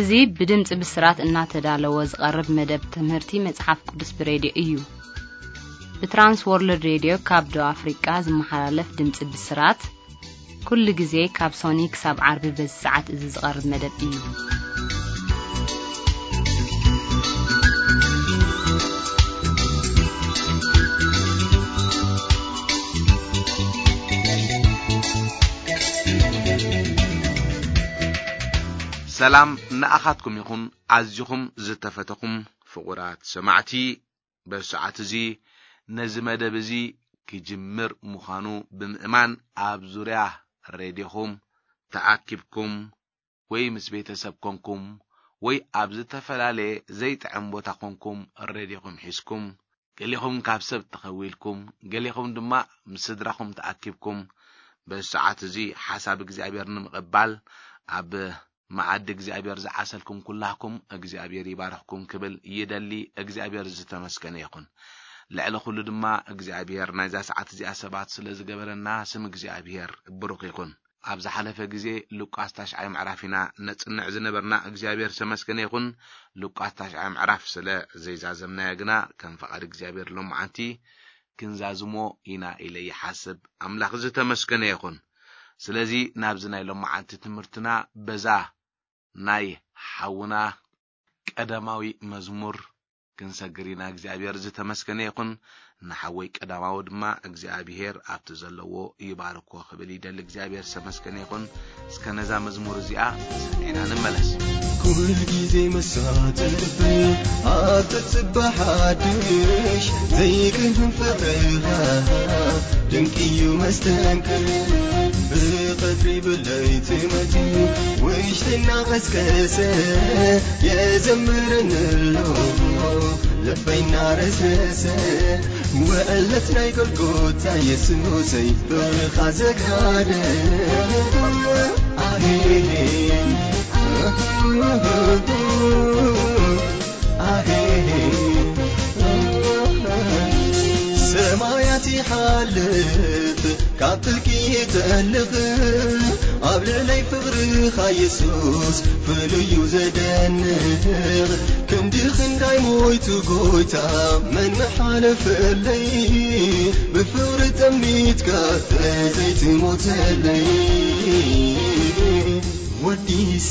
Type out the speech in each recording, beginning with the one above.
እዚ ብድምጺ ብስራት እናተዳለወ ዝቐርብ መደብ ትምህርቲ መጽሓፍ ቅዱስ ብሬድዮ እዩ። ብትራንስ ወርልድ ሬድዮ ካብ ደቡብ ኣፍሪቃ ዝመሓላለፍ ድምጺ ብስራት፣ ኩሉ ግዜ ካብ ሶኒ ክሳብ ዓርቢ በዚ ሰዓት እዚ ዝቐርብ መደብ እዩ። ሰላም ንኣኻትኩም ይኹን፣ ኣዚኹም ዝተፈተኹም ፍቑራት ሰማዕቲ። በዚ ሰዓት እዚ ነዚ መደብ እዚ ክጅምር ምዃኑ ብምእማን፣ ኣብ ዙርያ ሬድዮኹም ተኣኪብኩም፣ ወይ ምስ ቤተሰብ ኮንኩም፣ ወይ ኣብ ዝተፈላለየ ዘይጥዕም ቦታ ኮንኩም፣ ሬድዮኹም ሒዝኩም፣ ገሊኹም ካብ ሰብ ተኸዊልኩም፣ ገሊኹም ድማ ምስ ስድራኹም ተኣኪብኩም፣ በዚ ሰዓት እዚ ሓሳብ እግዚኣብሔር ንምቕባል ኣብ መኣዲ እግዚኣብሔር ዝዓሰልኩም ኩላህኩም እግዚኣብሔር ይባርኽኩም ክብል ይደሊ። እግዚኣብሔር ዝተመስገነ ይኹን። ልዕሊ ኩሉ ድማ እግዚኣብሔር ናይዛ ሰዓት እዚኣ ሰባት ስለ ዝገበረና ስም እግዚኣብሔር ብሩኽ ይኹን። ኣብ ዝሓለፈ ግዜ ሉቃስ ታሽዓይ ምዕራፍ ኢና ነጽንዕ ዝነበርና። እግዚኣብሔር ዝተመስገነ ይኹን። ሉቃስ ታሽዓይ ምዕራፍ ስለ ዘይዛዘምናዮ ግና ከም ፈቓድ እግዚኣብሔር ሎማዓንቲ ክንዛዝሞ ኢና ኢለ ይሓስብ። ኣምላኽ ዝተመስገነ ይኹን። ስለዚ ናብዚ ናይ ሎማዓንቲ ትምህርትና በዛ ናይ ሓውና ቀዳማዊ መዝሙር ክንሰግር ኢና። እግዚኣብሔር ዝተመስገነ ይኹን። ንሓወይ ቀዳማዊ ድማ እግዚኣብሔር ኣብቲ ዘለዎ ይባርኮ ክብል ይደሊ። እግዚኣብሔር ዝተመስገነ ይኹን። እስከ ነዛ መዝሙር እዚኣ ሰሚዕና ንመለስ። ኩል ግዜ መሳጥፍ ኣብ ተጽባሕ ሓድሽ ዘይቅህም ፍቕርኻ ድንቂ እዩ መስተንክር። ብቐትሪ ብለይቲ መጺኡ ውሽጥና ቀስቀሰ፣ የዘምርን ኣሎ ልበይና ረስረሰ። ውዕለት ናይ ጎልጎታ የሱሰይ ብርኻ ዘጋደ። ኣሄ፣ ኣሄ። ሰማያት ይሓልፍ ካብ ጥልቂ ይጠልቕ፣ ኣብ ልዕለይ ፍቕርኻ የሱስ ፍሉይ እዩ ዘደንቕ። ክንዲ ክንዳይ ሞይቱ ጎይታ መን ምሓለፈለይ፣ ብፍቕሪ ጠሚትካ ዘይትሞተለይ። ወዲሰ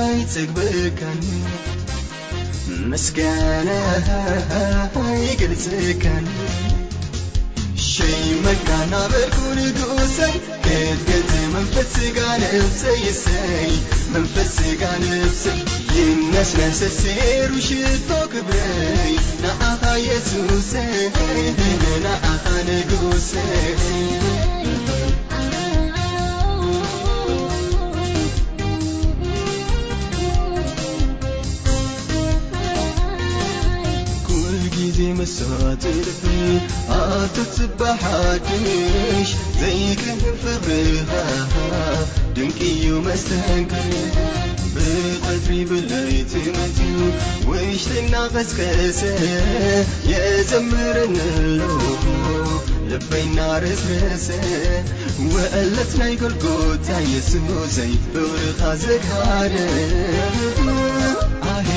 ኣይጸግበካን፣ ምስጋና ኣይገልጸካን። ሸይመካ ናበልኩ ንጉሰይ፣ ክትገት መንፈስ ስጋ ነብሰይ እሰይ፣ መንፈስ ስጋ ነብሰይ። ይነስነስ ሴሩ ሽቶ ክብረይ፣ ንኣኻ የሱሰይ፣ ንኣኻ ንጉሰይ። ኩል ግዜ መሳትፍ ኣብ ትጽባሕ ሓድሽ ዘይቅህር ፍቕርኻ ድንቂ እዩ መስተንክር። ብቐትሪ ብለይቲ መጺኡ ውሽጥና ቀስቀሰ፣ የዘምርን ኣሎ ልበይና ረስረሰ። ውዕለት ናይ ጎልጎታ የሱሰይ ፍቕርኻ ዘጋደ። ኣሄ፣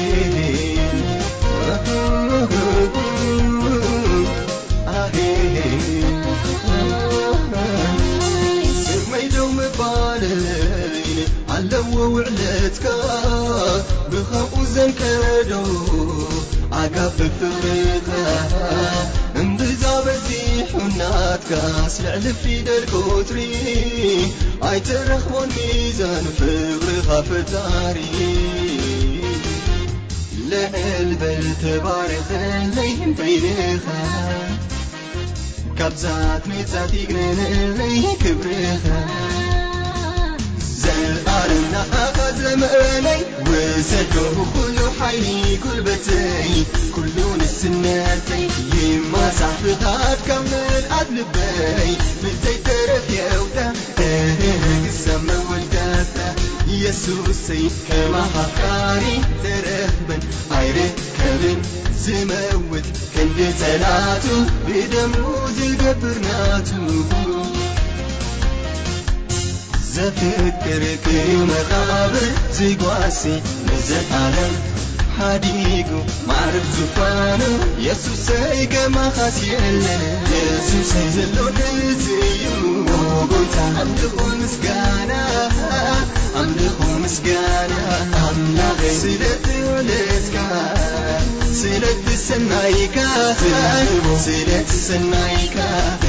ኣሄ። ስመይ ደው ምባለይ ኣለዎ ውዕለትካ፣ ብኸምኡ ዘንቀዶ ኣጋብ ፍቕርኻ። እምብዛ በዚሑ ናትካስ ልዕሊ ፊደል ቁጽሪ፣ ኣይትረኽቦን ሚዛን ፍቕርኻ ፈጣሪ። ልዕል በል ተባረኸለይ በይንኻ፣ ካብ ዛት ሜጻት ይግነነለይ ክብርኻ። ዘልኣለም ንኣኻ ዘመነይ፣ ውሰዶ ኩሉ ሓይሊ ጉልበተይ፣ ኩሉ ንስነተይ፣ ይማሳሕ ፍቓድካ ምልኣት ልበይ፣ ብዘይተረፍ የውታ፣ እህ፣ ክሳብ መወዳእታ። የሱሰይ ከማኻ ኣፍቃሪ ተረኽበን ኣይርከብን፣ ዝመውት ክንዲ ጸላቱ ብደሙ ዝገብር ናቱ። ዘፍቅርክ መቓብር ዝጓሲ ንዘለዓለም ሓዲጉ ማዕርግ ዙፋኑ የሱሰይ ከማኻስ የለን። የሱሰይ ዘሎ ንዚ እዩ ጎይታ ኣምልኾ ምስጋና ኣምልኾ ምስጋና ኣምላኸይ ስለትወለድካ ስለትሰናይካ ስለትሰናይካ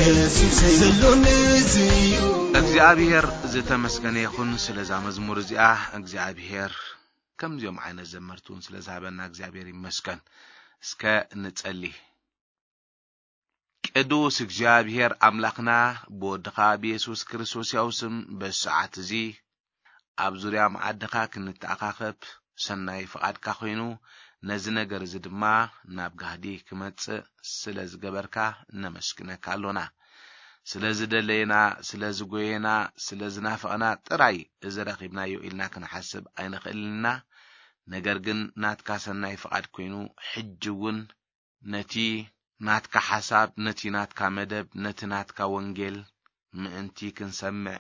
የሱሰይ ዘሎ ንዚ እዩ። እግዚኣብሔር ዝተመስገነ ይኹን ስለዛ መዝሙር እዚኣ። እግዚኣብሔር ከምዚኦም ዓይነት ዘመርቲ እውን ስለ ዝሃበና እግዚኣብሔር ይመስገን። እስከ ንጸሊ። ቅዱስ እግዚኣብሔር ኣምላኽና ብወድኻ ብየሱስ ክርስቶስ ያው ስም በዚ ሰዓት እዚ ኣብ ዙርያ መዓድኻ ክንተኣኻኸብ ሰናይ ፍቓድካ ኮይኑ ነዚ ነገር እዚ ድማ ናብ ጋህዲ ክመጽእ ስለ ዝገበርካ ነመስግነካ ኣሎና። ስለ ዝደለየና፣ ስለ ዝጎየና፣ ስለ ዝናፈቐና ጥራይ እዚ ረኺብናዮ ኢልና ክንሓስብ ኣይንኽእልን ኢና። ነገር ግን ናትካ ሰናይ ፍቓድ ኮይኑ ሕጂ እውን ነቲ ናትካ ሓሳብ፣ ነቲ ናትካ መደብ፣ ነቲ ናትካ ወንጌል ምእንቲ ክንሰምዕ፣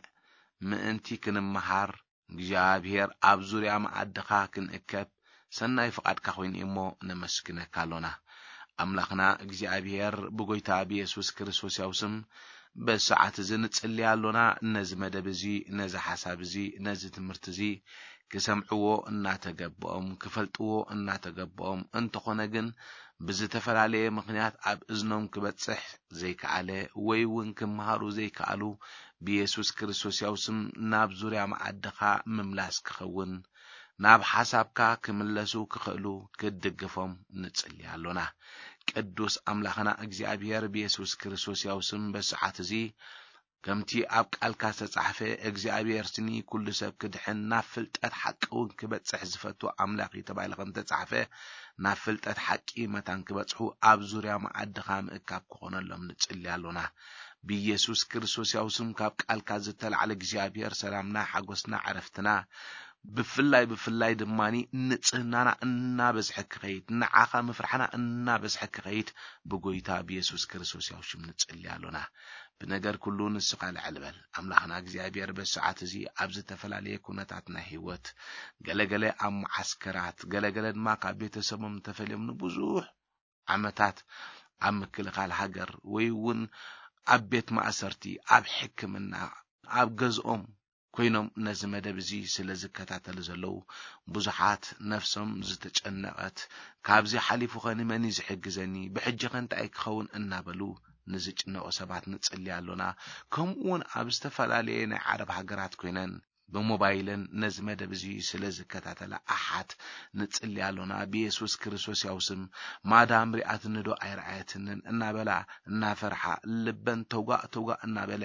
ምእንቲ ክንመሃር፣ እግዚኣብሔር ኣብ ዙርያ መኣድኻ ክንእከብ ሰናይ ፍቓድካ ኮይኑ እዩ እሞ ነመስግነካ ኣሎና። ኣምላኽና እግዚኣብሔር ብጎይታ ብየሱስ ክርስቶስ ያው ስም በዚ ሰዓት እዚ ንጽሊ ኣሎና። ነዚ መደብ እዚ፣ ነዚ ሓሳብ እዚ፣ ነዚ ትምህርቲ እዚ ክሰምዕዎ እናተገብኦም፣ ክፈልጥዎ እናተገብኦም፣ እንተኾነ ግን ብዝተፈላለየ ምኽንያት ኣብ እዝኖም ክበጽሕ ዘይከኣለ ወይ እውን ክመሃሩ ዘይከኣሉ ብየሱስ ክርስቶስ ያው ስም ናብ ዙርያ መኣድኻ ምምላስ ክኸውን ናብ ሓሳብካ ክምለሱ ክኽእሉ ክትድግፎም ንጽሊ ኣሎና። ቅዱስ ኣምላኽና እግዚኣብሔር ብየሱስ ክርስቶስ ያው ስም በሰዓት እዚ ከምቲ ኣብ ቃልካ ዝተጻሕፈ እግዚኣብሔር ስኒ ኩሉ ሰብ ክድሕን ናብ ፍልጠት ሓቂ እውን ክበጽሕ ዝፈቱ ኣምላኽ እዩ ተባሂሉ ከም ዝተጻሕፈ ናብ ፍልጠት ሓቂ መታን ክበጽሑ ኣብ ዙርያ መኣድኻ ምእካብ ክኾነሎም ንጽሊ ኣሎና። ብኢየሱስ ክርስቶስ ያው ስም ካብ ቃልካ ዝተላዕለ እግዚኣብሔር ሰላምና፣ ሓጎስና፣ ዕረፍትና ብፍላይ ብፍላይ ድማ ንጽህናና እናበዝሐ ክኸይድ ንዓኻ ምፍርሓና እናበዝሐ ክኸይድ ብጎይታ ብየሱስ ክርስቶስ ያው ሽም ንጽሊ ኣሎና። ብነገር ኩሉ ንስኻ ልዕል በል ኣምላኽና እግዚኣብሔር። በዚ ሰዓት እዚ ኣብ ዝተፈላለየ ኩነታት ናይ ህይወት ገለገለ ኣብ መዓስከራት ገለገለ ድማ ካብ ቤተሰቦም ተፈልዮም ንብዙሕ ዓመታት ኣብ ምክልኻል ሃገር ወይ እውን ኣብ ቤት ማእሰርቲ ኣብ ሕክምና ኣብ ገዝኦም ኮይኖም ነዚ መደብ እዚ ስለ ዝከታተሉ ዘለዉ ብዙሓት ነፍሶም ዝተጨነቐት ካብዚ ሓሊፉ ኸ ንመን እዩ ዝሕግዘኒ ብሕጂ ኸ እንታይ ክኸውን እናበሉ ንዝጭነቑ ሰባት ንጽሊ ኣሎና። ከምኡ እውን ኣብ ዝተፈላለየ ናይ ዓረብ ሃገራት ኮይነን ብሞባይለን ነዚ መደብ እዚ ስለ ዝከታተላ ኣሓት ንጽሊ ኣሎና። ብየሱስ ክርስቶስ ያው ስም ማዳም ሪኣትኒ ዶ ኣይረኣየትንን እናበላ እናፈርሓ ልበን ተውጋእ ተውጋእ እናበለ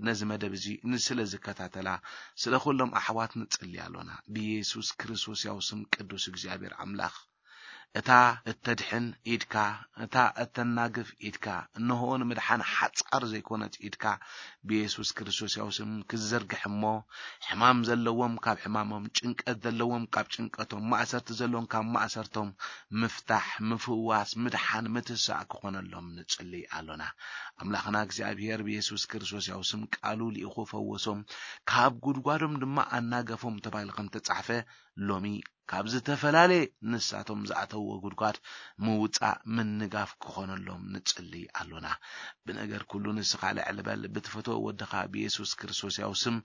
ነዚ መደብ እዚ ንስለ ዝከታተላ ስለ ኩሎም ኣሕዋት ንጽሊ ኣሎና። ብየሱስ ክርስቶስ ያው ስም ቅዱስ እግዚኣብሔር ኣምላኽ እታ እተድሕን ኢድካ እታ እተናግፍ ኢድካ እንሆ ንምድሓን ሓጻር ዘይኮነት ኢድካ ብየሱስ ክርስቶስ ያው ስም ክትዘርግሕ እሞ ሕማም ዘለዎም ካብ ሕማሞም ጭንቀት ዘለዎም ካብ ጭንቀቶም ማእሰርቲ ዘለዎም ካብ ማእሰርቶም ምፍታሕ ምፍዋስ ምድሓን ምትሳእ ክኾነሎም ንጽልይ ኣሎና። ኣምላኽና እግዚኣብሔር ብየሱስ ክርስቶስ ያው ስም ቃሉ ልኢኹ ፈወሶም ካብ ጉድጓዶም ድማ ኣናገፎም ተባሂሉ ከም ተጻሕፈ ሎሚ ካብ ዝተፈላለየ ንሳቶም ዝኣተውዎ ጉድጓድ ምውጻእ ምንጋፍ ክኾነሎም ንጽሊ ኣሎና። ብነገር ኩሉ ንስኻ ልዕል በል ብትፈትዎ ወድኻ ብየሱስ ክርስቶስ ያው ስም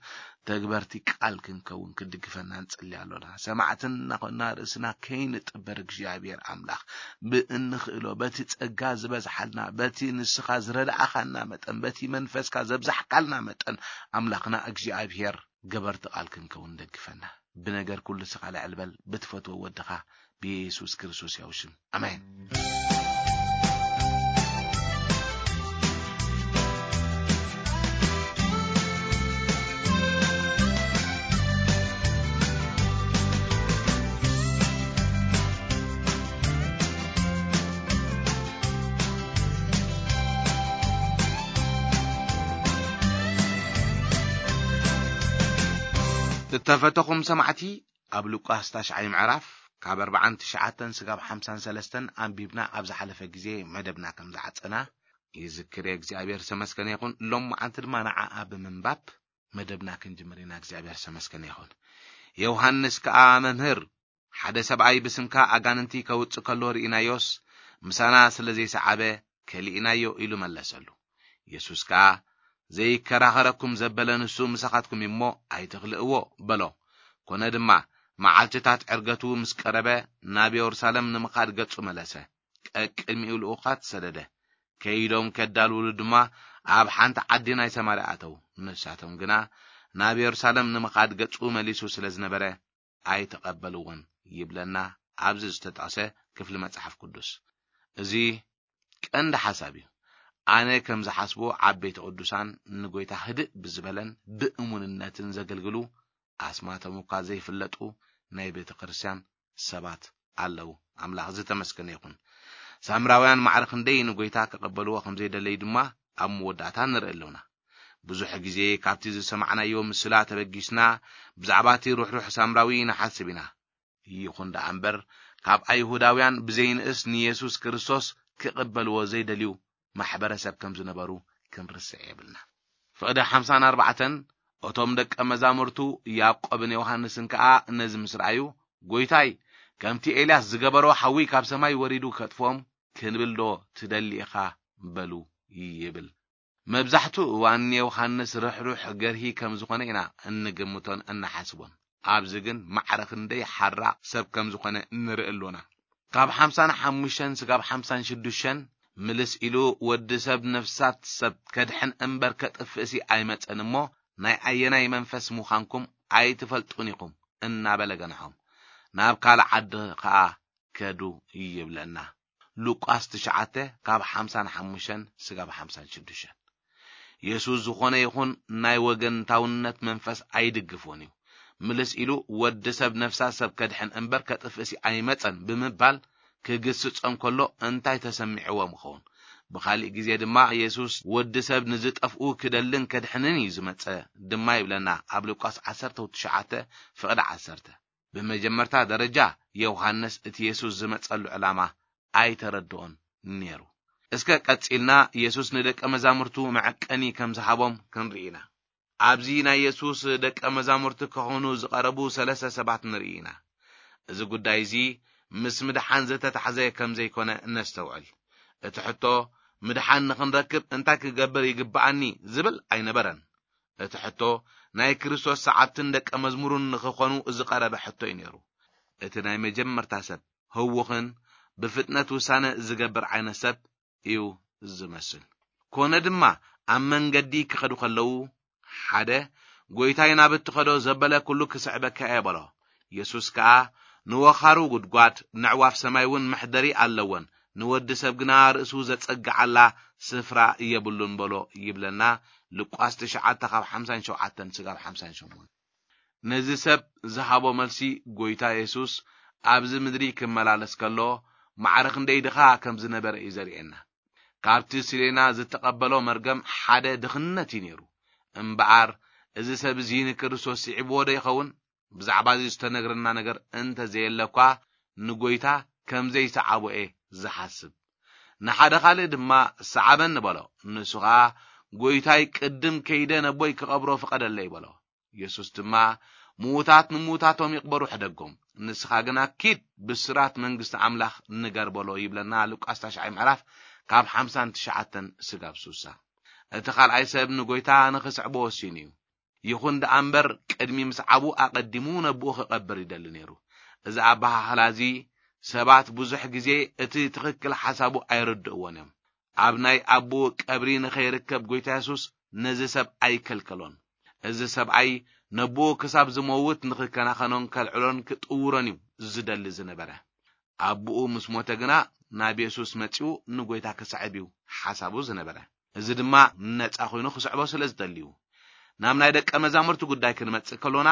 ተግበርቲ ቃል ክንከውን ክድግፈና ንጽሊ ኣሎና። ሰማዕትን እናኾንና ርእስና ከይንጥበር እግዚኣብሔር ኣምላኽ ብእንኽእሎ በቲ ጸጋ ዝበዝሓልና በቲ ንስኻ ዝረድኣኻና መጠን በቲ መንፈስካ ዘብዛሕካልና መጠን ኣምላኽና እግዚኣብሔር ገበርቲ ቃል ክንከውን ደግፈና። ብነገር ኩሉ ስኻ ልዕል በል ብትፈትዎ ወድኻ ብየሱስ ክርስቶስ ያው ሽም ኣሜን። እተፈተኹም ሰማዕቲ ኣብ ሉቃስ ታሽዓይ ምዕራፍ ካብ ኣርባዓን ትሽዓተን ስጋብ ሓምሳን ሰለስተን ኣንቢብና ኣብ ዝሓለፈ ግዜ መደብና ከም ዝዓጸና ይዝክር እየ። እግዚኣብሔር ዝተመስገነ ይኹን። ሎም መዓንቲ ድማ ንዓኣ ብምንባብ መደብና ክንጅምር ኢና። እግዚኣብሔር ዝተመስገነ ይኹን። ዮሃንስ ከኣ፣ መምህር፣ ሓደ ሰብኣይ ብስምካ ኣጋንንቲ ከውጽእ ከሎ ርኢናዮስ፣ ምሳና ስለ ዘይሰዓበ ከሊእናዮ፣ ኢሉ መለሰሉ። የሱስ ከኣ፣ ዘይከራኸረኩም ዘበለ ንሱ ምሳኻትኩም እዩ እሞ ኣይትኽልእዎ፣ በሎ። ኮነ ድማ፣ መዓልትታት ዕርገቱ ምስ ቀረበ፣ ናብ የሩሳሌም ንምኻድ ገጹ መለሰ። ቀቅድሚኡ ልኡኻት ሰደደ። ከይዶም ከዳልውሉ ድማ፣ ኣብ ሓንቲ ዓዲ ናይ ሰማርያ ኣተዉ። ንሳቶም ግና፣ ናብ የሩሳሌም ንምኻድ ገጹ መሊሱ ስለ ዝነበረ፣ ኣይተቐበልዎን ይብለና ኣብዚ ዝተጠቕሰ ክፍሊ መጽሓፍ ቅዱስ። እዚ ቀንዲ ሓሳብ እዩ። ኣነ ከም ዝሓስቦ፣ ዓበይቲ ቅዱሳን ንጎይታ ህድእ ብዝበለን ብእሙንነትን ዘገልግሉ፣ ኣስማቶም እኳ ዘይፍለጡ ናይ ቤተ ክርስቲያን ሰባት ኣለዉ። ኣምላኽ ዝተመስገነ ይኹን። ሳምራውያን ማዕረ ክንደይ ንጎይታ ክቐበልዎ ከም ዘይደለዩ ድማ ኣብ መወዳእታ ንርኢ ኣለውና። ብዙሕ ግዜ ካብቲ ዝሰማዕናዮ ምስላ ተበጊስና፣ ብዛዕባ እቲ ርሕሩሕ ሳምራዊ ንሓስብ ኢና። ይኹን ደኣ እምበር፣ ካብ ኣይሁዳውያን ብዘይንእስ ንየሱስ ክርስቶስ ክቕበልዎ ዘይደልዩ ማሕበረሰብ ከም ዝነበሩ ክንርስዕ የብልና። ፍቕዲ ሓምሳን ኣርባዕተን፣ እቶም ደቀ መዛሙርቱ ያዕቆብን ዮሃንስን ከኣ ነዚ ምስ ረኣዩ፣ "ጎይታይ፣ ከምቲ ኤልያስ ዝገበሮ ሓዊ ካብ ሰማይ ወሪዱ ከጥፍኦም ክንብል ዶ ትደሊ ኢኻ?" በሉ ይብል። መብዛሕትኡ እዋን ንዮሃንስ ርሕሩሕ ገርሂ ከም ዝኾነ ኢና እንግምቶን እንሓስቦን። ኣብዚ ግን ማዕረ ክንደይ ሓራቕ ሰብ ከም ዝኾነ ንርኢ ኣሎና። ካብ ሓምሳን ሓሙሽተን ስጋብ ሓምሳን ሽዱሽተን ምልስ ኢሉ፣ "ወዲ ሰብ ነፍሳት ሰብ ከድሕን እምበር ከጥፍእሲ ኣይመጸን እሞ፣ ናይ ኣየናይ መንፈስ ምዃንኩም ኣይትፈልጡን ኢኹም" እናበለ ገንሖም። ናብ ካልእ ዓዲ ኸኣ ከዱ ይብለና። ሉቃስ ትሽዓተ ካብ ሓምሳን ሓሙሽተን ስጋብ ሓምሳን ሽዱሽተን። የሱስ ዝኾነ ይኹን ናይ ወገንታውነት መንፈስ ኣይድግፎን እዩ። ምልስ ኢሉ፣ "ወዲ ሰብ ነፍሳ ሰብ ከድሕን እምበር ከጥፍእሲ ኣይመጸን" ብምባል ክግስጾም ከሎ እንታይ ተሰሚዕዎም ይኸውን? ብኻሊእ ግዜ ድማ የሱስ፣ "ወዲ ሰብ ንዝጠፍኡ ክደልን ከድሕንን እዩ ዝመጸ" ድማ ይብለና ኣብ ሉቃስ ዓሰርተ ትሽዓተ ፍቕዲ ዓሰርተ። ብመጀመርታ ደረጃ፣ ዮሃንስ እቲ የሱስ ዝመጸሉ ዕላማ ኣይተረድኦን ነይሩ። እስከ ቀጺልና የሱስ ንደቀ መዛሙርቱ መዐቀኒ ከም ዝሃቦም ክንርኢ ኢና። ኣብዚ ናይ የሱስ ደቀ መዛሙርቲ ክኾኑ ዝቐረቡ ሰለስተ ሰባት ንርኢ ኢና። እዚ ጉዳይ እዚ ምስ ምድሓን ዝተታሕዘ ከም ዘይኮነ ነስተውዕል። እቲ ሕቶ፣ "ምድሓን ንኽንረክብ እንታይ ክገብር ይግብኣኒ?" ዝብል ኣይነበረን። እቲ ሕቶ፣ ናይ ክርስቶስ ሰዓብትን ደቀ መዝሙሩን ንኽኾኑ ዝቐረበ ሕቶ እዩ ነይሩ። እቲ ናይ መጀመርታ ሰብ፣ ህዉኽን ብፍጥነት ውሳነ ዝገብር ዓይነት ሰብ እዩ ዝመስል። ኮነ ድማ፣ ኣብ መንገዲ ክኸዱ ከለዉ፣ ሓደ፣ "ጎይታይ፣ ናብ እትኸዶ ዘበለ ኩሉ ክስዕበካ እየ" በሎ። የሱስ ከኣ፣ "ንወኻሩ ጉድጓድ፣ ነዕዋፍ ሰማይ እውን መሕደሪ ኣለወን፣ ንወዲ ሰብ ግና ርእሱ ዘጸግዓላ ስፍራ የብሉን" በሎ ይብለና ሉቃስ ትሽዓተ ካብ ሓምሳን ሸውዓተን ስጋብ ሓምሳን ሸሞንተ። ነዚ ሰብ ዝሃቦ መልሲ፣ ጎይታ የሱስ ኣብዚ ምድሪ ክመላለስ ከሎ ማዕረ ክንደይ ድኻ ከም ዝነበረ እዩ ዘርእየና። ካብቲ ሲሌና ዝተቐበሎ መርገም ሓደ ድኽነት እዩ ነይሩ። እምበኣር፣ እዚ ሰብ እዚ ንክርስቶስ ስዒብዎ ዶ ይኸውን? ብዛዕባ እዚ ዝተነግረና ነገር እንተ ዘየለ እኳ፣ ንጎይታ ከም ዘይሰዓቦ እየ ዝሓስብ። ንሓደ ካልእ ድማ፣ "ሰዓበኒ" በሎ። ንሱ ኸኣ፣ "ጎይታይ፣ ቅድም ከይደ ነቦይ ክቐብሮ ፍቐደለይ" በሎ። የሱስ ድማ፣ "ምዉታት ንምዉታቶም ይቕበሩ ሕደጎም፣ ንስኻ ግና ኪድ፣ ብስራት መንግስቲ ኣምላኽ ንገር" በሎ ይብለና ሉቃስ ታሽዓይ ምዕራፍ ካብ ሓምሳን ትሽዓተን ስጋብ ሱሳ። እቲ ካልኣይ ሰብ ንጎይታ ንኽስዕቦ ወሲኑ እዩ። ይኹን ደኣ እምበር፣ ቅድሚ ምስዓቡ ኣቐዲሙ ነቦኡ ክቐብር ይደሊ ነይሩ። እዚ ኣበሃህላ እዚ ሰባት ብዙሕ ግዜ እቲ ትኽክል ሓሳቡ ኣይርድእዎን እዮም። ኣብ ናይ ኣቦኡ ቀብሪ ንኸይርከብ ጎይታ የሱስ ነዚ ሰብ ኣይከልከሎን። እዚ ሰብኣይ ነቦኡ ክሳብ ዝመውት ንኽከናኸኖን ከልዕሎን ክጥውሮን እዩ ዝደሊ ዝነበረ። ኣቦኡ ምስ ሞተ ግና ናብ የሱስ መጺኡ ንጎይታ ክስዕብ እዩ ሓሳቡ ዝነበረ። እዚ ድማ ነጻ ኮይኑ ክስዕቦ ስለ ዝደሊ እዩ። ናብ ናይ ደቀ መዛሙርቲ ጉዳይ ክንመጽእ ከሎና፣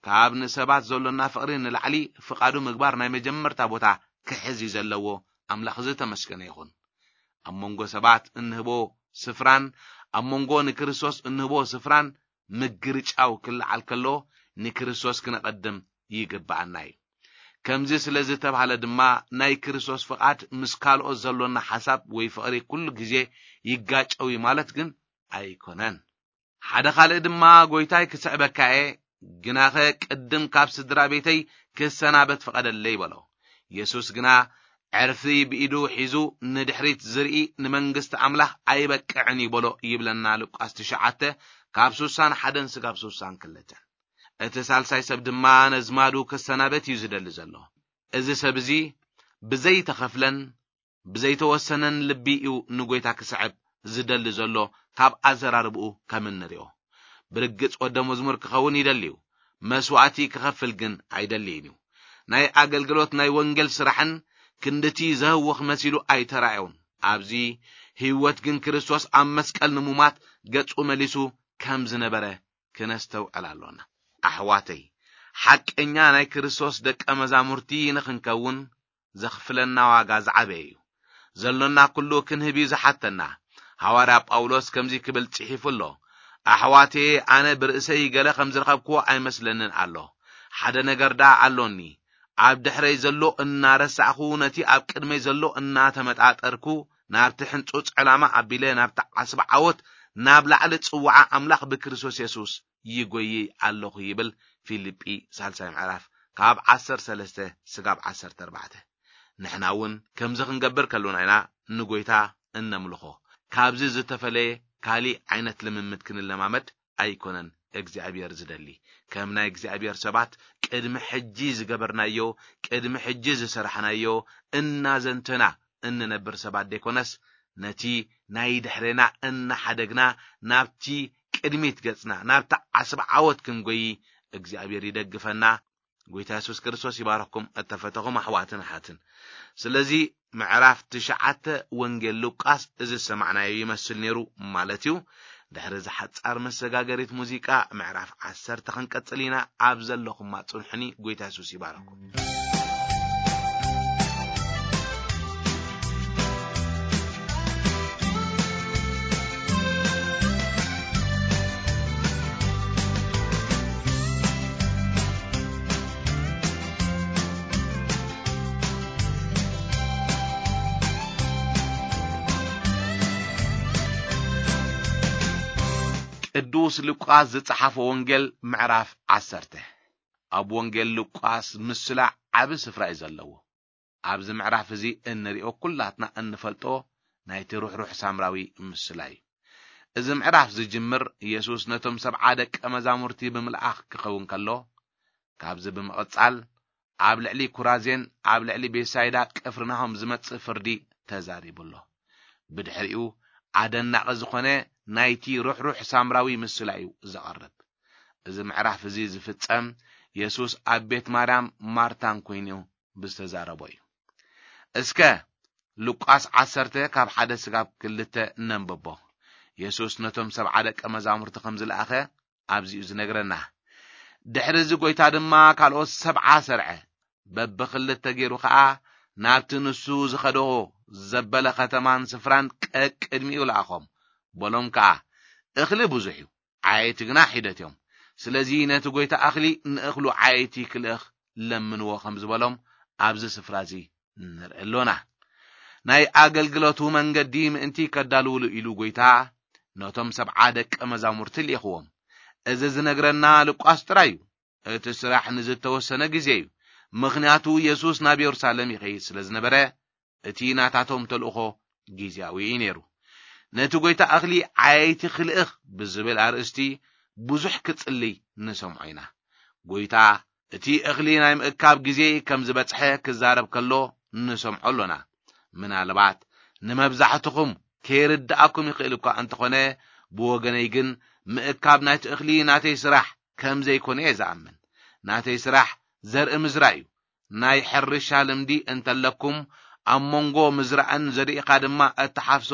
ካብ ንሰባት ዘሎና ፍቕሪ ንላዕሊ ፍቓዱ ምግባር ናይ መጀመርታ ቦታ ክሕዝ እዩ ዘለዎ። ኣምላኽ ዝተመስገነ ይኹን። ኣብ መንጎ ሰባት እንህቦ ስፍራን ኣብ መንጎ ንክርስቶስ እንህቦ ስፍራን ምግርጫው ክለዓል ከሎ፣ ንክርስቶስ ክነቐድም ይግብኣና እዩ። ከምዚ ስለ ዝተባህለ ድማ፣ ናይ ክርስቶስ ፍቓድ ምስ ካልኦት ዘሎና ሓሳብ ወይ ፍቕሪ ኩሉ ግዜ ይጋጨው እዩ ማለት ግን ኣይኮነን። ሓደ ካልእ ድማ፣ "ጎይታይ፣ ክስዕበካ እየ፣ ግናኸ ቅድም ካብ ስድራ ቤተይ ክሰናበት ፍቐደለይ" በሎ። የሱስ ግና ዕርፊ ብኢዱ ሒዙ፣ "ንድሕሪት ዝርኢ ንመንግስቲ ኣምላኽ ኣይበቅዕን እዩ" በሎ ይብለና ሉቃስ ትሽዓተ ካብ ስሳን ሓደን ስጋብ ስሳን ክልተን። እቲ ሳልሳይ ሰብ ድማ ነዝማዱ ክሰናበት እዩ ዝደሊ ዘሎ። እዚ ሰብ እዚ ብዘይተኸፍለን ብዘይተወሰነን ልቢ እዩ ንጎይታ ክስዕብ ዝደሊ ዘሎ፣ ካብ ኣዘራርብኡ ከም እንሪኦ። ብርግጽ ወደ መዝሙር ክኸውን ይደሊ እዩ፣ መስዋእቲ ክኸፍል ግን ኣይደልይን እዩ። ናይ ኣገልግሎት ናይ ወንጌል ስራሕን ክንድቲ ዘህውኽ መሲሉ ኣይተራእዮን። ኣብዚ ህይወት ግን ክርስቶስ ኣብ መስቀል ንሙማት ገጹ መሊሱ ከም ዝነበረ ክነስተውዕል ኣሎና። ኣሕዋተይ፣ ሓቀኛ ናይ ክርስቶስ ደቀ መዛሙርቲ ንኽንከውን ዘኽፍለና ዋጋ ዝዓበየ እዩ። ዘሎና ኩሉ ክንህብ እዩ ዝሓተና። ሃዋርያ ጳውሎስ ከምዚ ክብል ጽሒፉ ኣሎ፣ "ኣሕዋቴ፣ ኣነ ብርእሰይ ገለ ከም ዝረኸብክዎ ኣይመስለንን ኣሎ። ሓደ ነገር ደኣ ኣሎኒ። ኣብ ድሕረይ ዘሎ እናረሳዕኹ፣ ነቲ ኣብ ቅድመይ ዘሎ እናተመጣጠርኩ፣ ናብቲ ሕንጹጽ ዕላማ ኣቢለ፣ ናብቲ ዓስቢ ዓወት፣ ናብ ላዕሊ ጽዋዓ ኣምላኽ ብክርስቶስ የሱስ ይጎይይ ኣለኹ" ይብል። ፊልጲ ሳልሳይ ምዕራፍ ካብ ዓሰርተ ሰለስተ ስጋብ ዓሰርተ ኣርባዕተ። ንሕና እውን ከምዚ ክንገብር ከሎና ኢና ንጎይታ እነምልኾ። ካብዚ ዝተፈለየ ካሊእ ዓይነት ልምምድ ክንለማመድ ኣይኮነን እግዚኣብሔር ዝደሊ። ከም ናይ እግዚኣብሔር ሰባት ቅድሚ ሕጂ ዝገበርናዮ፣ ቅድሚ ሕጂ ዝሰራሕናዮ እናዘንተና እንነብር ሰባት ደይኮነስ፣ ነቲ ናይ ድሕሬና እናሓደግና ናብቲ ቅድሚት ገጽና፣ ናብቲ ዓስቢ ዓወት ክንጎይ እግዚኣብሔር ይደግፈና። ጎይታ የሱስ ክርስቶስ ይባረኽኩም፣ እተፈተኹም ኣሕዋትን ኣሓትን። ስለዚ ምዕራፍ ትሽዓተ ወንጌል ሉቃስ እዚ ዝሰማዕናዮ ይመስል ነይሩ ማለት እዩ። ድሕሪ እዚ ሓጻር መሰጋገሪት ሙዚቃ፣ ምዕራፍ ዓሰርተ ክንቀጽል ኢና። ኣብ ዘለኹማ ጽንሑኒ፣ ጎይታ የሱስ ይባረኽኩም። ቅዱስ ሉቃስ ዝጸሓፎ ወንጌል ምዕራፍ ዓሰርተ። ኣብ ወንጌል ሉቃስ ምስላ ዓቢ ስፍራ እዩ ዘለዎ። ኣብዚ ምዕራፍ እዚ እንሪኦ ኩላትና እንፈልጦ ናይቲ ርሕሩሕ ሳምራዊ ምስላ እዩ። እዚ ምዕራፍ ዝጅምር የሱስ ነቶም ሰብዓ ደቀ መዛሙርቲ ብምልኣኽ ክኸውን ከሎ፣ ካብዚ ብምቕጻል ኣብ ልዕሊ ኩራዜን ኣብ ልዕሊ ቤትሳይዳ ቅፍርናሆም ዝመጽእ ፍርዲ ተዛሪቡ ኣሎ። ብድሕሪኡ ኣደናቒ ዝኾነ ናይቲ ርሕሩሕ ሳምራዊ ምስላ እዩ ዘቐርብ። እዚ ምዕራፍ እዚ ዝፍጸም የሱስ ኣብ ቤት ማርያም ማርታን ኮይኑ ብዝተዛረቦ እዩ። እስከ ሉቃስ ዓሰርተ ካብ ሓደ ስጋብ ክልተ ነንብቦ። የሱስ ነቶም ሰብዓ ደቀ መዛሙርቲ ከም ዝለኣኸ ኣብዚኡ ዝነግረና። ድሕሪ እዚ ጎይታ ድማ ካልኦት ሰብዓ ሰርዐ። በብኽልተ ገይሩ ኸኣ ናብቲ ንሱ ዝኸዶ ዘበለ ኸተማን ስፍራን ቀቅድሚኡ ለኣኾም። በሎም ከኣ፣ "እኽሊ ብዙሕ እዩ፣ ዓየይቲ ግና ሒደት እዮም። ስለዚ ነቲ ጎይታ እኽሊ ንእኽሉ ዓየይቲ ክልእኽ ለምንዎ" ከም ዝበሎም ኣብዚ ስፍራ እዚ ንርኢ ኣሎና። ናይ ኣገልግሎቱ መንገዲ ምእንቲ ከዳልውሉ ኢሉ ጎይታ ነቶም ሰብዓ ደቀ መዛሙርቲ ልኢኽዎም። እዚ ዝነግረና ሉቃስ ጥራይ እዩ። እቲ ስራሕ ንዝተወሰነ ግዜ እዩ። ምኽንያቱ የሱስ ናብ የሩሳሌም ይኸይድ ስለ ዝነበረ፣ እቲ ናታቶም ተልእኾ ግዝያዊ እዩ ነይሩ። ነቲ ጎይታ እኽሊ ዓየይቲ ክልእኽ ብዝብል ኣርእስቲ ብዙሕ ክጽልይ ንሰምዖ ኢና። ጎይታ እቲ እኽሊ ናይ ምእካብ ግዜ ከም ዝበጽሐ ክዛረብ ከሎ ንሰምዖ ኣሎና። ምናልባት ንመብዛሕትኹም ከይርድኣኩም ይኽእል እኳ እንተኾነ፣ ብወገነይ ግን ምእካብ ናይቲ እኽሊ ናተይ ስራሕ ከም ዘይኮነ እየ ዝኣምን። ናተይ ስራሕ ዘርኢ ምዝራእ እዩ። ናይ ሕርሻ ልምዲ እንተለኩም፣ ኣብ መንጎ ምዝራእን ዘሪእኻ ድማ እትሓፍሶ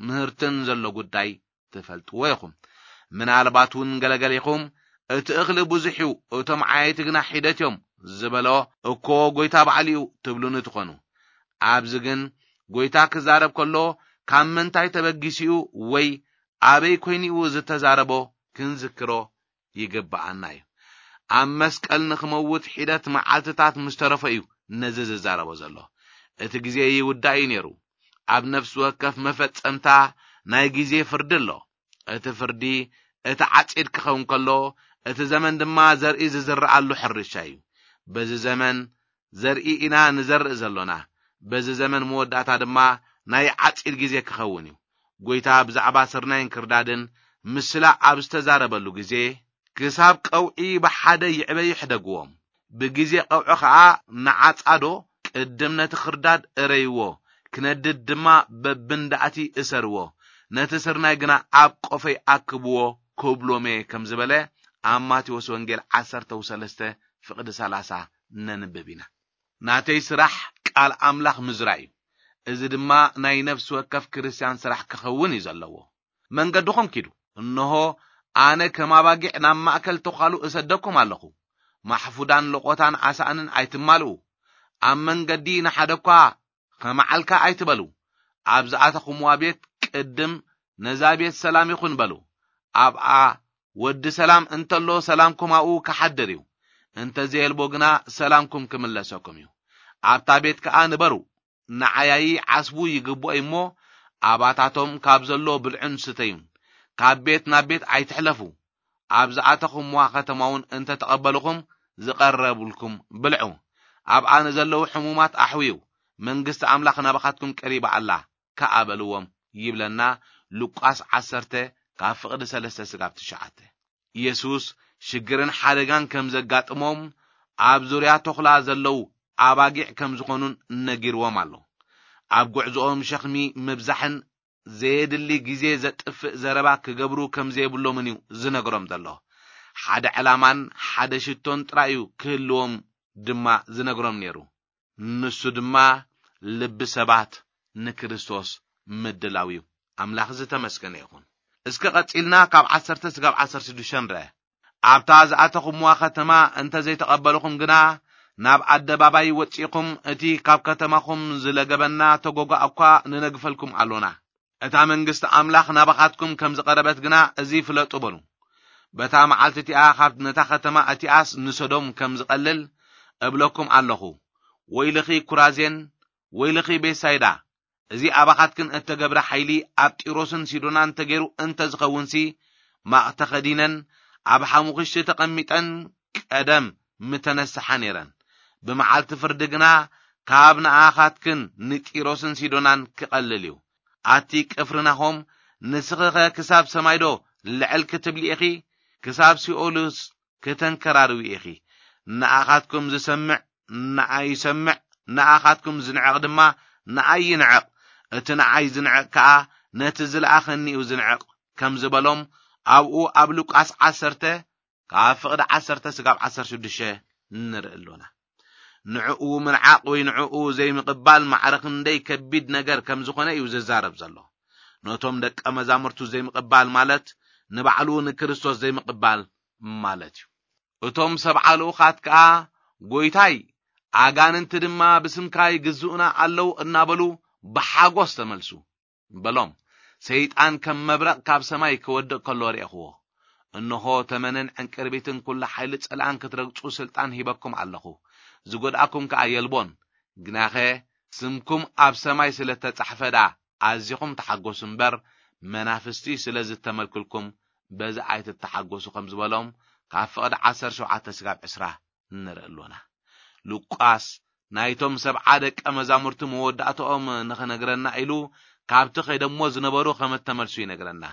ምህርትን ዘሎ ጉዳይ ትፈልጥዎ ኢኹም። ምናልባት እውን ገለገሊኹም፣ "እቲ እኽሊ ብዙሕ እዩ፣ እቶም ዓየይቲ ግና ሒደት እዮም" ዝበሎ እኮ ጎይታ ባዕሉ እዩ ትብሉኒ ትኾኑ። ኣብዚ ግን ጎይታ ክዛረብ ከሎ፣ ካብ ምንታይ ተበጊሱ እዩ ወይ ኣበይ ኮይኑ እዩ ዝተዛረቦ ክንዝክሮ ይግብኣና እዩ። ኣብ መስቀል ንኽመውት ሒደት መዓልትታት ምስ ተረፎ እዩ ነዚ ዝዛረቦ ዘሎ። እቲ ግዜ ይውዳእ እዩ ነይሩ። ኣብ ነፍሲ ወከፍ መፈጸምታ ናይ ግዜ ፍርዲ ኣሎ። እቲ ፍርዲ እቲ ዓጺድ ክኸውን ከሎ፣ እቲ ዘመን ድማ ዘርኢ ዝዝረኣሉ ሕርሻ እዩ። በዚ ዘመን ዘርኢ ኢና ንዘርእ ዘሎና። በዚ ዘመን መወዳእታ ድማ ናይ ዓጺድ ግዜ ክኸውን እዩ። ጎይታ ብዛዕባ ስርናይን ክርዳድን ምስላ ኣብ ዝተዛረበሉ ግዜ፣ ክሳብ ቀውዒ ብሓደ ይዕበዩ ሕደግዎም። ብግዜ ቀውዒ ኸኣ ንዓጻዶ ቅድም ነቲ ክርዳድ እረይዎ፣ ክነድድ ድማ በብንዳእቲ እሰርዎ፣ ነቲ ስርናይ ግና ኣብ ቆፈይ ኣክብዎ ክብሎም እየ ከም ዝበለ ኣብ ማቴዎስ ወንጌል ዓሰርተ ሰለስተ ፍቕዲ ሰላሳ ነንብብ ኢና። ናተይ ስራሕ ቃል ኣምላኽ ምዝራእ እዩ። እዚ ድማ ናይ ነፍሲ ወከፍ ክርስትያን ስራሕ ክኸውን እዩ ዘለዎ። መንገድኹም ኪዱ። እንሆ፣ ኣነ ከም ኣባጊዕ ናብ ማእከል ተዃሉ እሰደኩም ኣለኹ። ማሕፉዳን ለቖታን ኣሳእንን ኣይትማልኡ። ኣብ መንገዲ ንሓደ እኳ ከመዓልካ ኣይትበሉ። ኣብ ዝኣተኹምዋ ቤት ቅድም ነዛ ቤት ሰላም ይኹን በሉ። ኣብኣ ወዲ ሰላም እንተሎ ሰላምኩም ኣብኡ ክሓድር እዩ። እንተ ዘየልቦ ግና ሰላምኩም ክምለሰኩም እዩ። ኣብታ ቤት ከኣ ንበሩ። ንዓያዪ ዓስቡ ይግብኦ እዩ እሞ፣ ኣባታቶም ካብ ዘሎ ብልዑን ስተዩን። ካብ ቤት ናብ ቤት ኣይትሕለፉ። ኣብ ዝኣተኹምዋ ከተማ እውን እንተ ተቐበልኹም፣ ዝቐረቡልኩም ብልዑ። ኣብኣ ንዘለዉ ሕሙማት ኣሕውዩ፣ መንግስቲ ኣምላኽ ናባኻትኩም ቀሪባ ኣላ፣ ከኣ በልዎም ይብለና ሉቃስ ዓሰርተ ካብ ፍቕዲ ሰለስተ ስጋብ ትሽዓተ። ኢየሱስ ሽግርን ሓደጋን ከም ዘጋጥሞም፣ ኣብ ዙርያ ተኹላ ዘለዉ ኣባጊዕ ከም ዝኾኑን ነጊርዎም ኣሎ። ኣብ ጉዕዞኦም ሸኽሚ ምብዛሕን ዘየድሊ ግዜ ዘጥፍእ ዘረባ ክገብሩ ከም ዘይብሎምን እዩ ዝነግሮም ዘሎ። ሓደ ዕላማን ሓደ ሽቶን ጥራይ እዩ ክህልዎም ድማ ዝነግሮም ነይሩ። ንሱ ድማ ልቢ ሰባት ንክርስቶስ ምድላው እዩ። ኣምላኽ ዝተመስገነ ይኹን። እስከ ቀጺልና ካብ ዓሰርተ ስጋብ ዓሰርተ ሽዱሽተ ንርአ። ኣብታ ዝኣተኹምዋ ከተማ እንተ ዘይተቐበልኹም ግና፣ ናብ ኣደባባይ ወጺኹም፣ እቲ ካብ ከተማኹም ዝለገበና ተጎጓ እኳ ንነግፈልኩም ኣሎና። እታ መንግስቲ ኣምላኽ ናባኻትኩም ከም ዝቐረበት ግና እዚ ፍለጡ በሉ። በታ መዓልቲ እቲኣ ካብ ነታ ከተማ እቲኣስ ንሰዶም ከም ዝቐልል እብለኩም ኣለኹ። ወይልኺ ኩራዜን፣ ወይልኺ ቤሳይዳ፣ እዚ ኣባኻትክን እተገብረ ሓይሊ ኣብ ጢሮስን ሲዶናን ተገይሩ እንተ ዝኸውንሲ፣ ማቕ ተኸዲነን ኣብ ሓሙኽሽቲ ተቐሚጠን ቀደም ምተነስሓ ነይረን። ብመዓልቲ ፍርዲ ግና ካብ ንኣኻትክን ንጢሮስን ሲዶናን ክቐልል እዩ። ኣቲ ቅፍርናሆም፣ ንስኺኸ ክሳብ ሰማይዶ ልዕል ክትብሊ ኢኺ? ክሳብ ሲኦልስ ክተንከራርዊ ኢኺ? ንኣኻትኩም ዝሰምዕ ንኣይ ይሰምዕ፣ ንኣኻትኩም ዝንዕቕ ድማ ንኣይ ይንዕቕ። እቲ ንኣይ ዝንዕቕ ከኣ ነቲ ዝለኣኸኒ እዩ ዝንዕቕ ከም ዝበሎም፣ ኣብኡ ኣብ ሉቃስ ዓሰርተ ካብ ፍቕዲ ዓሰርተ ስጋብ ዓሰርተ ሽዱሽተ ንርኢ ኣሎና። ንዕኡ ምንዓቕ ወይ ንዕኡ ዘይምቕባል ማዕረ ክንደይ ከቢድ ነገር ከም ዝኾነ እዩ ዝዛረብ ዘሎ። ነቶም ደቀ መዛሙርቱ ዘይምቕባል ማለት ንባዕሉ ንክርስቶስ ዘይምቕባል ማለት እዩ። እቶም ሰብዓ ልኡኻት ከኣ፣ "ጎይታይ፣ ኣጋንንቲ ድማ ብስምካ ይግዝኡና ኣለዉ" እናበሉ ብሓጎስ ተመልሱ። በሎም፣ "ሰይጣን ከም መብረቕ ካብ ሰማይ ክወድቕ ከሎ ርኤኽዎ። እንሆ፣ ተመንን ዕንቅርቢትን ኩሉ ሓይሊ ጸላእን ክትረግጹ ስልጣን ሂበኩም ኣለኹ። ዝጎድኣኩም ከኣ የልቦን። ግናኸ ስምኩም ኣብ ሰማይ ስለ እተጻሕፈ ደኣ ኣዚኹም ተሓጎሱ እምበር፣ መናፍስቲ ስለ ዝተመልክልኩም በዚ ኣይትተሓጎሱ" ከም ዝበሎም ካብ ፍቕዲ ዓሰርተ ሸውዓተ ስጋብ ዕስራ ንርኢ ኣሎና። ሉቃስ ናይቶም ሰብዓ ደቀ መዛሙርቲ መወዳእታኦም ንኽነግረና ኢሉ ካብቲ ከይደሞ ዝነበሩ ከም እተመልሱ ይነግረና።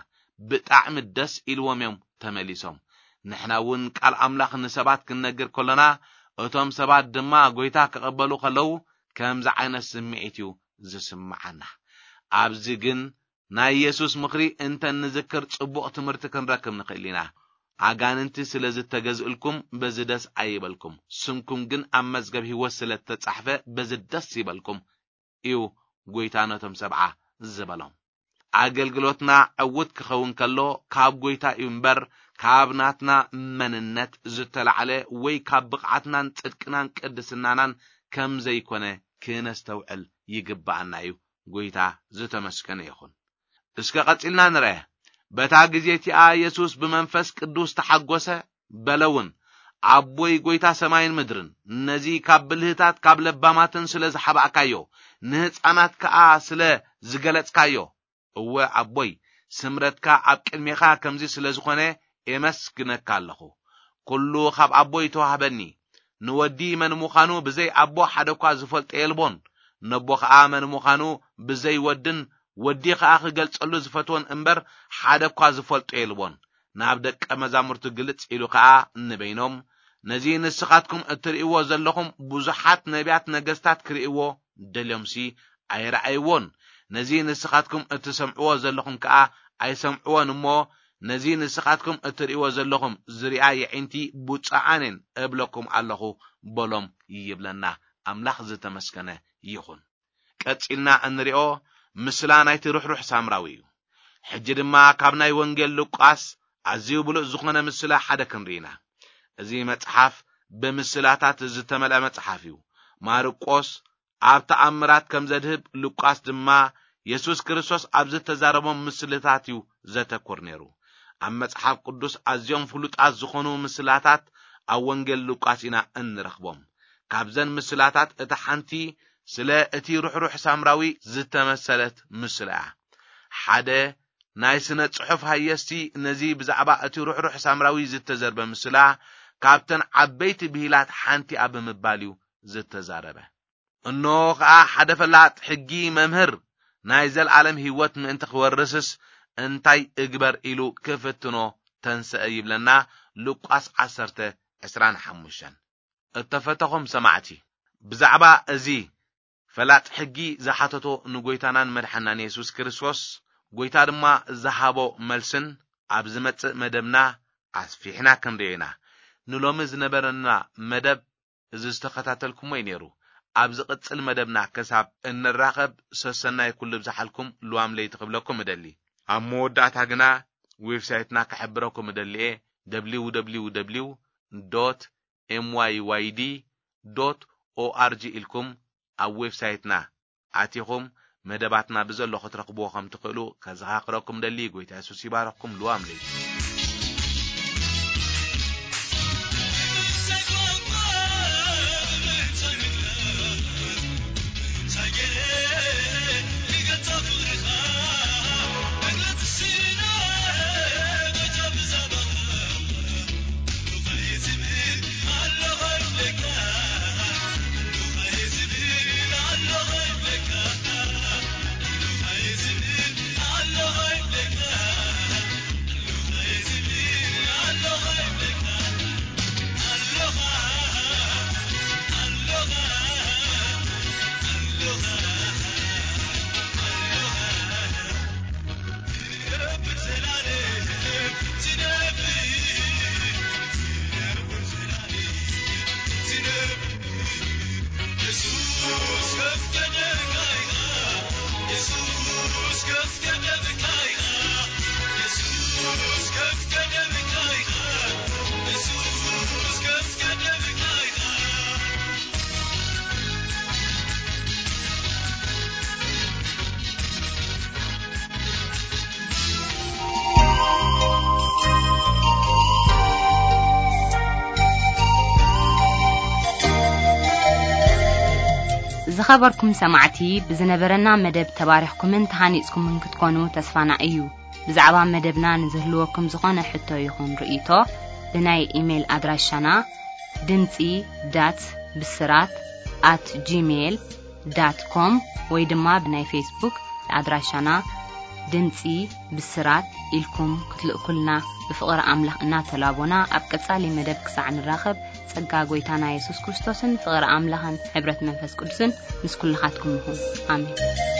ብጣዕሚ ደስ ኢልዎም እዮም ተመሊሶም። ንሕና እውን ቃል ኣምላኽ ንሰባት ክንነግር ከሎና፣ እቶም ሰባት ድማ ጐይታ ክቕበሉ ከለዉ ከምዚ ዓይነት ስምዒት እዩ ዝስምዓና። ኣብዚ ግን ናይ የሱስ ምኽሪ እንተ እንዝክር ጽቡቕ ትምህርቲ ክንረክብ ንኽእል ኢና። "ኣጋንንቲ ስለ ዝተገዝእልኩም በዚ ደስ ኣይበልኩም፣ ስምኩም ግን ኣብ መዝገብ ህይወት ስለ እተጻሕፈ በዚ ደስ ይበልኩም" እዩ ጐይታ ነቶም ሰብዓ ዝበሎም። ኣገልግሎትና ዕዉት ክኸውን ከሎ ካብ ጐይታ እዩ እምበር፣ ካብ ናትና መንነት ዝተላዕለ ወይ ካብ ብቕዓትናን ጽድቅናን ቅድስናናን ከም ዘይኮነ ክነስተውዕል ይግብኣና እዩ። ጐይታ ዝተመስገነ ይኹን። እስከ ቀጺልና ንርአ። በታ ግዜ እቲኣ የሱስ ብመንፈስ ቅዱስ ተሓጐሰ፣ በለ እውን፣ "ኣቦይ ጐይታ ሰማይን ምድርን፣ ነዚ ካብ ብልህታት ካብ ለባማትን ስለ ዝሓባእካዮ፣ ንህፃናት ከኣ ስለ ዝገለጽካዮ፣ እወ ኣቦይ፣ ስምረትካ ኣብ ቅድሜኻ ከምዚ ስለ ዝኾነ ኤመስግነካ ኣለኹ። ኩሉ ካብ ኣቦ ይተዋህበኒ። ንወዲ መን ምዃኑ ብዘይ ኣቦ ሓደ እኳ ዝፈልጦ የልቦን። ነቦ ኸኣ መን ምዃኑ ብዘይ ወድን ወዲ ኸኣ ክገልጸሉ ዝፈትዎን እምበር ሓደ እኳ ዝፈልጦ የልቦን። ናብ ደቀ መዛሙርቱ ግልጽ ኢሉ ኸኣ ንበይኖም፣ ነዚ ንስኻትኩም እትርእይዎ ዘለኹም ብዙሓት ነቢያት ነገስታት ክርእይዎ ደልዮምሲ ኣይረኣይዎን። ነዚ ንስኻትኩም እትሰምዕዎ ዘለኹም ከኣ ኣይሰምዕዎን እሞ፣ ነዚ ንስኻትኩም እትርእይዎ ዘለኹም ዝሪኣ የዒንቲ ብፁዓንን እብለኩም ኣለኹ በሎም ይብለና። ኣምላኽ ዝተመስገነ ይኹን። ቀጺልና እንሪኦ ምስላ ናይቲ ርሕሩሕ ሳምራዊ እዩ። ሕጂ ድማ ካብ ናይ ወንጌል ሉቃስ ኣዝዩ ብሉጽ ዝኾነ ምስላ ሓደ ክንርኢ ኢና። እዚ መጽሓፍ ብምስላታት ዝተመልአ መጽሓፍ እዩ። ማርቆስ ኣብ ተኣምራት ከም ዘድህብ፣ ሉቃስ ድማ የሱስ ክርስቶስ ኣብ ዝተዛረቦም ምስልታት እዩ ዘተኩር ነይሩ። ኣብ መጽሓፍ ቅዱስ ኣዝዮም ፍሉጣት ዝኾኑ ምስላታት ኣብ ወንጌል ሉቃስ ኢና እንረኽቦም። ካብዘን ምስላታት እታ ሓንቲ ስለ እቲ ርሕሩሕ ሳምራዊ ዝተመሰለት ምስላ እያ። ሓደ ናይ ስነ ጽሑፍ ሃየስቲ ነዚ ብዛዕባ እቲ ርሕሩሕ ሳምራዊ ዝተዘርበ ምስላ ካብተን ዓበይቲ ብሂላት ሓንቲ ኣብ ብምባል እዩ ዝተዛረበ። እነሆ ኸኣ ሓደ ፈላጥ ሕጊ መምህር ናይ ዘልኣለም ህይወት ምእንቲ ክወርስስ እንታይ እግበር ኢሉ ክፍትኖ ተንሰአ ይብለና ሉቃስ ዓሰርተ ዕስራን ሓሙሽተን። እተፈተኹም ሰማዕቲ፣ ብዛዕባ እዚ ፈላጥ ሕጊ ዝሓተቶ ንጎይታናን መድሓናን የሱስ ክርስቶስ፣ ጎይታ ድማ ዝሃቦ መልስን ኣብ ዝመጽእ መደብና ኣስፊሕና ክንርእዮ ኢና። ንሎሚ ዝነበረና መደብ እዚ ዝተኸታተልኩሞ እዩ ነይሩ። ኣብ ዝቕጽል መደብና ክሳብ እንራኸብ ሰሰናይ ኩሉ ብዝሓልኩም ልዋም ለይቲ ክብለኩም እደሊ። ኣብ መወዳእታ ግና ዌብሳይትና ክሕብረኩም እደሊ እየ። www dot myyd dot org ኢልኩም ኣብ ዌብሳይትና ኣቲኹም መደባትና ብዘሎ ክትረኽብዎ ከም ትኽእሉ ከዘኻኽረኩም ደሊ። ጎይታ የሱስ ይባረኽኩም። ልዋም ለይቲ። ዝኸበርኩም ሰማዕቲ፣ ብዝነበረና መደብ ተባሪኽኩምን ተሃኒጽኩምን ክትኮኑ ተስፋና እዩ። ብዛዕባ መደብና ንዝህልወኩም ዝኾነ ሕቶ ይኹን ርእይቶ፣ ብናይ ኢሜይል ኣድራሻና ድምጺ ዳት ብስራት ኣት ጂሜይል ዳት ኮም ወይ ድማ ብናይ ፌስቡክ ኣድራሻና ድምጺ ብስራት ኢልኩም ክትልእኩልና ብፍቕሪ ኣምላኽ እናተላቦና፣ ኣብ ቀጻሊ መደብ ክሳዕ ንራኸብ፣ ጸጋ ጐይታና የሱስ ክርስቶስን ፍቕሪ ኣምላኽን ሕብረት መንፈስ ቅዱስን ምስ ኩልኻትኩም ይኹን። ኣሜን።